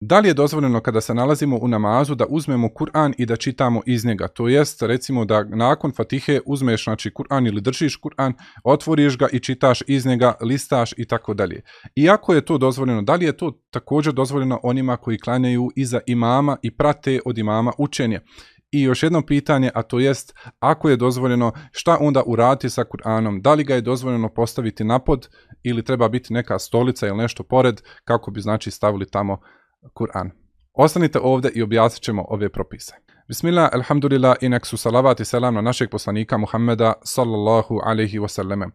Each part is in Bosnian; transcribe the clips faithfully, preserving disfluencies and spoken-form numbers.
Da li je dozvoljeno kada se nalazimo u namazu da uzmemo Kur'an i da čitamo iz njega? To jest, recimo da nakon Fatihe uzmeš znači Kur'an ili držiš Kur'an, otvoriš ga i čitaš iz njega, listaš i tako dalje. Iako je to dozvoljeno, da li je to također dozvoljeno onima koji klanjaju iza imama i prate od imama učenje? I još jedno pitanje, a to jest, ako je dozvoljeno, šta onda uraditi sa Kur'anom? Da li ga je dozvoljeno postaviti napod ili treba biti neka stolica ili nešto pored kako bi znači stavili tamo Kur'an? Ostanite ovdje i objasnit ćemo ove propise. Bismillah, alhamdulillah, i nek su salavat i selam na našeg poslanika Muhammeda sallallahu alaihi wasallame.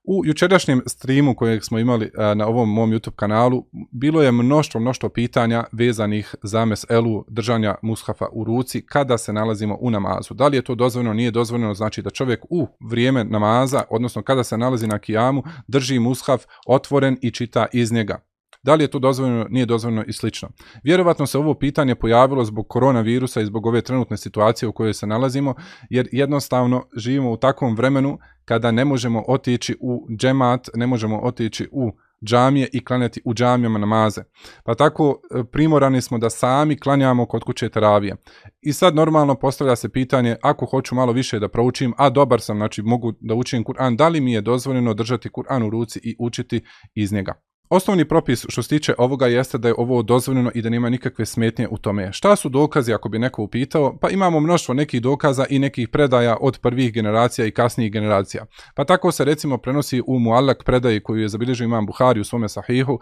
U jučerašnjem streamu kojeg smo imali na ovom mom YouTube kanalu bilo je mnoštvo, mnoštvo pitanja vezanih za meselu držanja mushafa u ruci kada se nalazimo u namazu. Da li je to dozvoljeno, nije dozvoljeno, znači da čovjek u vrijeme namaza, odnosno kada se nalazi na kijamu, drži mushaf otvoren i čita iz njega. Da li je to dozvoljeno, nije dozvoljeno i slično. Vjerovatno se ovo pitanje pojavilo zbog koronavirusa i zbog ove trenutne situacije u kojoj se nalazimo, jer jednostavno živimo u takvom vremenu kada ne možemo otići u džemat, ne možemo otići u džamije i klanjati u džamijama namaze. Pa tako primorani smo da sami klanjamo kod kuće teravije. I sad normalno postavlja se pitanje, ako hoću malo više da proučim, a dobar sam, znači mogu da učim Kur'an, da li mi je dozvoljeno držati Kur'an u ruci i učiti iz njega? Osnovni propis što se tiče ovoga jeste da je ovo dozvoljeno i da nema nikakve smetnje u tome. Šta su dokazi ako bi neko upitao? Pa imamo mnoštvo nekih dokaza i nekih predaja od prvih generacija i kasnijih generacija. Pa tako se recimo prenosi u Muallak predaji koju je zabilježio imam Buhari u svome sahihu,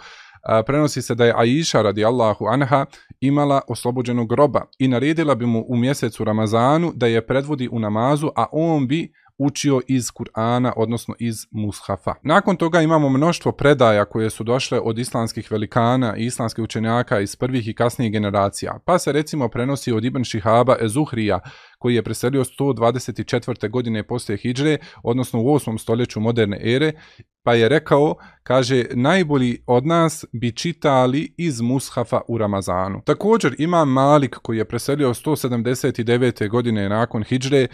prenosi se da je Aisha radijallahu anha imala oslobođenog roba i naredila bi mu u mjesecu Ramazanu da je predvodi u namazu, a on bi učio iz Kur'ana, odnosno iz mushafa. Nakon toga imamo mnoštvo predaja koje su došle od islamskih velikana i islamskih učenjaka iz prvih i kasnijih generacija. Pa se recimo prenosi od Ibn Šihaba Ezuhrija, koji je preselio sto dvadeset četvrte godine poslije hidžre, odnosno u osmom stoljeću moderne ere, pa je rekao, kaže, najbolji od nas bi čitali iz mushafa u Ramazanu. Također imam Malik koji je preselio sto sedamdeset devete godine nakon hidžre, e,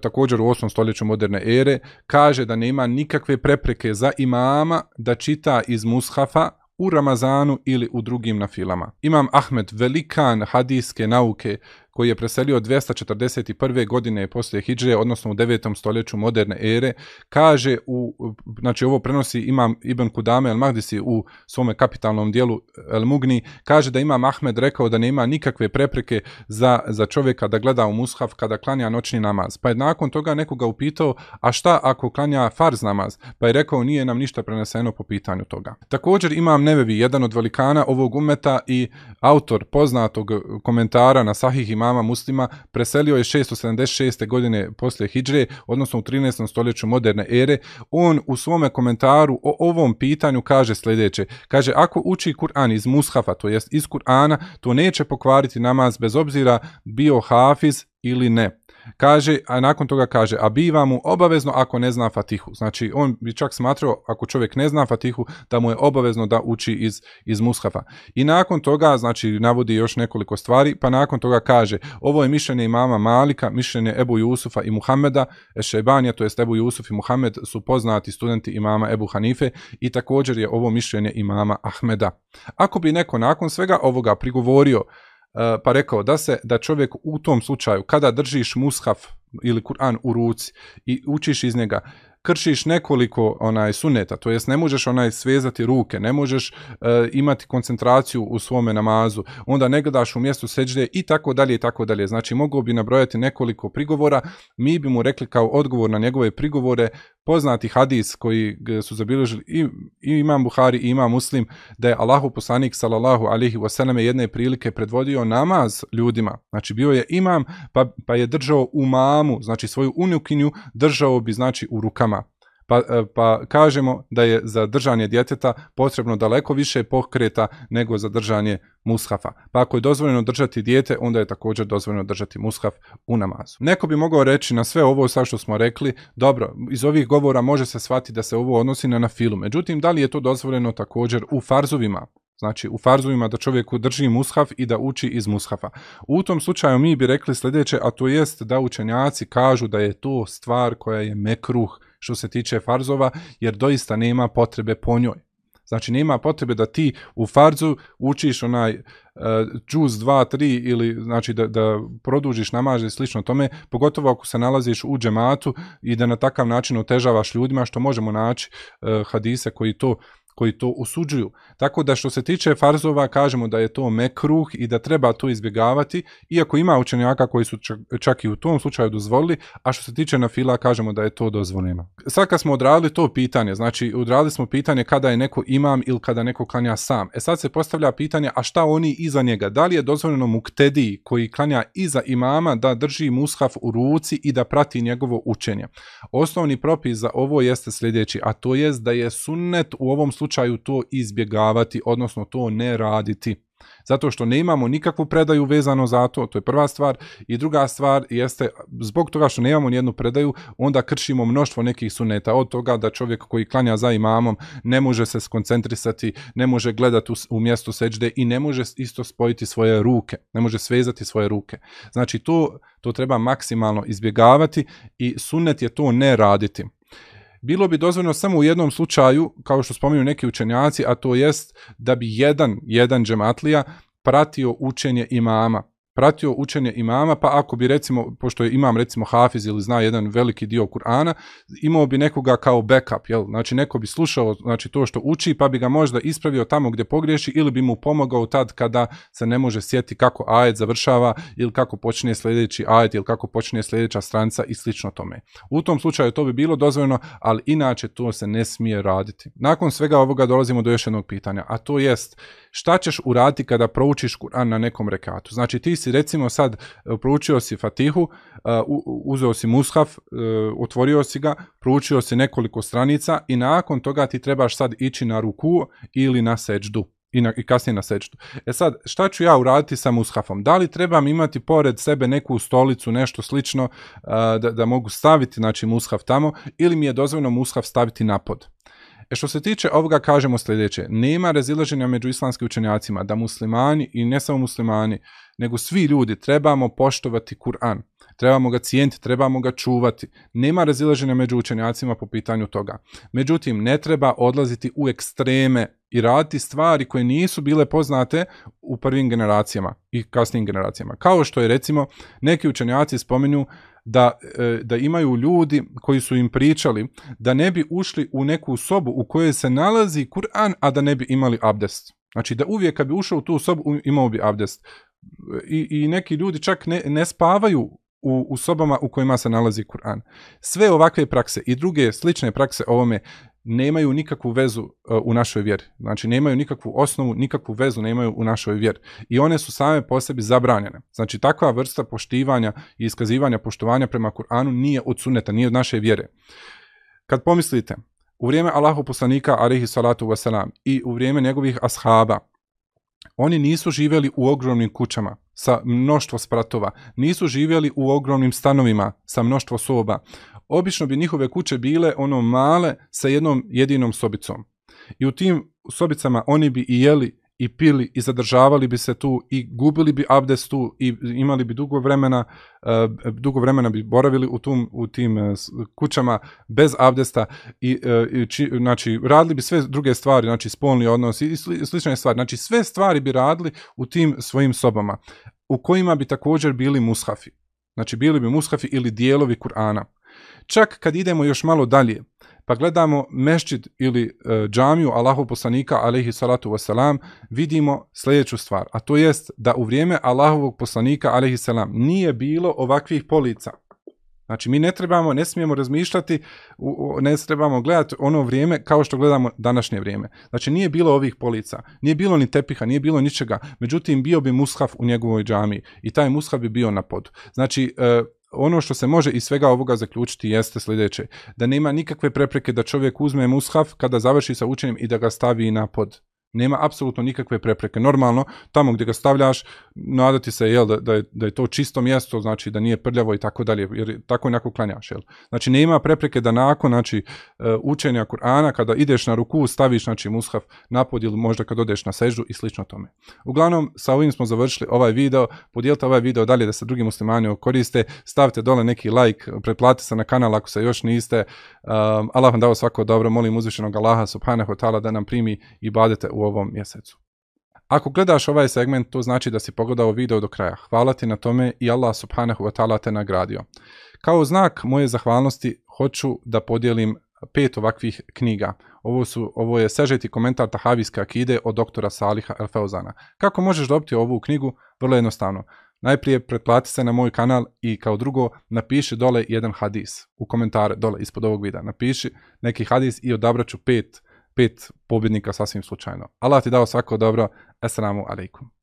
također u osmom stoljeću moderne ere, kaže da nema nikakve prepreke za imama da čita iz mushafa u Ramazanu ili u drugim nafilama. Imam Ahmed, velikan hadijske nauke, koji je preselio dvjesto četrdeset prve godine poslije hidžre, odnosno u devetom stoljeću moderne ere, kaže, u, znači ovo prenosi imam Ibn Kudame al-Mahdisi u svome kapitalnom dijelu El-Mugni, kaže da imam Ahmed rekao da nema nikakve prepreke za, za čovjeka da gleda u mushaf kada klanja noćni namaz. Pa je nakon toga nekoga upitao, a šta ako klanja farz namaz? Pa je rekao, nije nam ništa preneseno po pitanju toga. Također imam Nevevi, jedan od velikana ovog ummeta i autor poznatog komentara na Sahih imama Muslima, preselio je šesto sedamdeset šeste godine poslije hidžre, odnosno u trinaestom stoljeću moderne ere. On u svome komentaru o ovom pitanju kaže sljedeće. Kaže, ako uči Kur'an iz mushafa, to jest iz Kur'ana, to neće pokvariti namaz bez obzira bio hafiz ili ne. Kaže, a nakon toga kaže, a biva mu obavezno ako ne zna Fatihu. Znači, on bi čak smatrao, ako čovjek ne zna Fatihu, da mu je obavezno da uči iz, iz mushafa. I nakon toga, znači, navodi još nekoliko stvari, pa nakon toga kaže, ovo je mišljenje imama Malika, mišljenje Ebu Jusufa i Muhammeda, Ešejbanija, to jest Ebu Jusuf i Muhammed su poznati studenti imama Ebu Hanife i također je ovo mišljenje imama Ahmeda. Ako bi neko nakon svega ovoga prigovorio, pa rekao da se da čovjek u tom slučaju kada držiš mushaf ili Kur'an u ruci i učiš iz njega, kršiš nekoliko onaj suneta, to jest ne možeš onaj svezati ruke, ne možeš uh, imati koncentraciju u svome namazu, onda ne gledaš u mjestu seđde i tako dalje i tako dalje. Znači mogao bi nabrojati nekoliko prigovora, mi bi mu rekli kao odgovor na njegove prigovore poznati hadis koji su zabilježili i, i imam Buhari i imam Muslim, da je Allahu poslanik sallallahu alejhi ve selleme jedne prilike predvodio namaz ljudima. Znači bio je imam pa, pa je držao u mamu, znači svoju unukinju držao bi znači u rukama. Pa, pa kažemo da je za držanje djeteta potrebno daleko više pokreta nego za držanje mushafa. Pa ako je dozvoljeno držati dijete, onda je također dozvoljeno držati mushaf u namazu. Neko bi mogao reći na sve ovo sa što smo rekli, dobro, iz ovih govora može se shvatiti da se ovo odnosi na nafilu. Međutim, da li je to dozvoljeno također u farzovima? Znači u farzovima da čovjeku drži mushaf i da uči iz mushafa. U tom slučaju mi bi rekli sljedeće, a to jest da učenjaci kažu da je to stvar koja je mekruh što se tiče farzova, jer doista nema potrebe po njoj. Znači nema potrebe da ti u farzu učiš onaj džuz dva, tri ili znači da, da produžiš namaz i slično tome, pogotovo ako se nalaziš u džematu i da na takav način otežavaš ljudima, što možemo naći uh, hadise koji to koji to osuđuju. Tako da što se tiče farzova, kažemo da je to mekruh i da treba to izbjegavati, iako ima učenjaka koji su čak, čak i u tom slučaju dozvolili, a što se tiče nafila, kažemo da je to dozvoljeno. Sad kad smo odradili to pitanje, znači odradili smo pitanje kada je neko imam ili kada neko klanja sam. E sad se postavlja pitanje, a šta oni iza njega? Da li je dozvoljeno muktediji koji klanja iza imama da drži mushaf u ruci i da prati njegovo učenje? Osnovni propis za ovo jeste sljedeći, a to jest da je sunnet u ovom slučaju slučaju to izbjegavati, odnosno to ne raditi. Zato što ne imamo nikakvu predaju vezano za to, to je prva stvar. I druga stvar jeste, zbog toga što nemamo nijednu predaju, onda kršimo mnoštvo nekih suneta. Od toga da čovjek koji klanja za imamom ne može se skoncentrisati, ne može gledati u, u mjestu seđde i ne može isto spojiti svoje ruke, ne može svezati svoje ruke. Znači to, to treba maksimalno izbjegavati i sunnet je to ne raditi. Bilo bi dozvoljeno samo u jednom slučaju, kao što spominju neki učenjaci, a to jest da bi jedan, jedan džematlija pratio učenje imama. Pratio učenje imama, pa ako bi recimo, pošto je imam recimo hafiz ili zna jedan veliki dio Kur'ana, imao bi nekoga kao backup, jel? Znači neko bi slušao znači, to što uči, pa bi ga možda ispravio tamo gdje pogriješi ili bi mu pomogao tad kada se ne može sjetiti kako ajet završava ili kako počne sljedeći ajet ili kako počne sljedeća stranica i slično tome. U tom slučaju to bi bilo dozvoljeno, ali inače to se ne smije raditi. Nakon svega ovoga dolazimo do još jednog pitanja, a to jest šta ćeš uraditi kada proučiš Kur'an na nekom rekatu? Znači ti si recimo sad proučio si Fatihu, uzeo si mushaf, otvorio si ga, proučio si nekoliko stranica i nakon toga ti trebaš sad ići na ruku ili na seđdu. I, na, i kasnije na seđdu. E sad, šta ću ja uraditi sa mushafom? Da li trebam imati pored sebe neku stolicu, nešto slično, da, da mogu staviti znači, mushaf tamo ili mi je dozvoljeno mushaf staviti na pod? E što se tiče ovoga kažemo sljedeće, nema razilaženja među islamskim učenjacima da muslimani i ne samo muslimani, nego svi ljudi trebamo poštovati Kur'an, trebamo ga cijeniti, trebamo ga čuvati. Nema razilaženja među učenjacima po pitanju toga. Međutim, ne treba odlaziti u ekstreme i raditi stvari koje nisu bile poznate u prvim generacijama i kasnijim generacijama. Kao što je recimo neki učenjaci spominju da, da imaju ljudi koji su im pričali da ne bi ušli u neku sobu u kojoj se nalazi Kur'an, a da ne bi imali abdest. Znači da uvijek kad bi ušao u tu sobu imao bi abdest. I, i neki ljudi čak ne, ne spavaju u, u sobama u kojima se nalazi Kur'an. Sve ovakve prakse i druge slične prakse ovome nemaju nikakvu vezu uh, u našoj vjeri. Znači nemaju nikakvu osnovu, nikakvu vezu nemaju u našoj vjeri. I one su same po sebi zabranjene. Znači takva vrsta poštivanja i iskazivanja poštovanja prema Kur'anu nije od sunneta, nije od naše vjere. Kad pomislite, u vrijeme Allahu poslanika alejhi salatu vesselam i u vrijeme njegovih ashaba, oni nisu živjeli u ogromnim kućama sa mnoštvo spratova, nisu živjeli u ogromnim stanovima sa mnoštvo soba. Obično bi njihove kuće bile ono male sa jednom jedinom sobicom. I u tim sobicama oni bi i jeli i pili i zadržavali bi se tu i gubili bi abdest tu i imali bi dugo vremena, uh, dugo vremena bi boravili u, tum, u tim uh, kućama bez abdesta i, uh, i či, znači, radili bi sve druge stvari, znači spolni odnos i sli, slične stvari. Znači sve stvari bi radili u tim svojim sobama u kojima bi također bili mushafi. Znači bili bi mushafi ili dijelovi Kur'ana. Čak kad idemo još malo dalje, pa gledamo mešćid ili e, džamiju Allahov poslanika alejhi salatu vesselam, vidimo sljedeću stvar, a to jest da u vrijeme Allahovog poslanika alejhi selam nije bilo ovakvih polica. Znači mi ne trebamo, ne smijemo razmišljati, ne trebamo gledati ono vrijeme kao što gledamo današnje vrijeme. Znači nije bilo ovih polica, nije bilo ni tepiha, nije bilo ničega, međutim bio bi mushaf u njegovoj džamiji i taj mushaf bi bio na podu. Znači e, ono što se može iz svega ovoga zaključiti jeste sljedeće, da nema nikakve prepreke da čovjek uzme mushaf kada završi sa učenjem i da ga stavi na pod. Nema apsolutno nikakve prepreke. Normalno, tamo gdje ga stavljaš, nadati se jel, da, da, je, da je to čisto mjesto, znači da nije prljavo i tako dalje, jer tako onako klanjaš. Jel. Znači nema prepreke da nakon znači, učenja Kur'ana, kada ideš na ruku, staviš znači, mushaf na pod ili možda kad odeš na seždu i slično tome. Uglavnom, sa ovim smo završili ovaj video. Podijelite ovaj video dalje da se drugi muslimani koriste. Stavite dole neki like, pretplatite se na kanal ako se još niste. Um, Allah vam dao svako dobro. Molim uzvišenog Allaha subhanahu wa ta'ala da nam primi ibadete u ovom mjesecu. Ako gledaš ovaj segment, to znači da si pogledao video do kraja. Hvala ti na tome i Allah subhanahu wa ta'ala te nagradio. Kao znak moje zahvalnosti hoću da podijelim pet ovakvih knjiga. Ovo, su, ovo je sažeti komentar Tahavijske akide od doktora Saliha El Feuzana. Kako možeš dobiti ovu knjigu? Vrlo jednostavno. Najprije pretplati se na moj kanal i kao drugo napiši dole jedan hadis u komentare dole ispod ovog videa. Napiši neki hadis i odabraću pet, pet pobjednika sasvim slučajno. Allah ti dao svako dobro. Assalamu alaikum.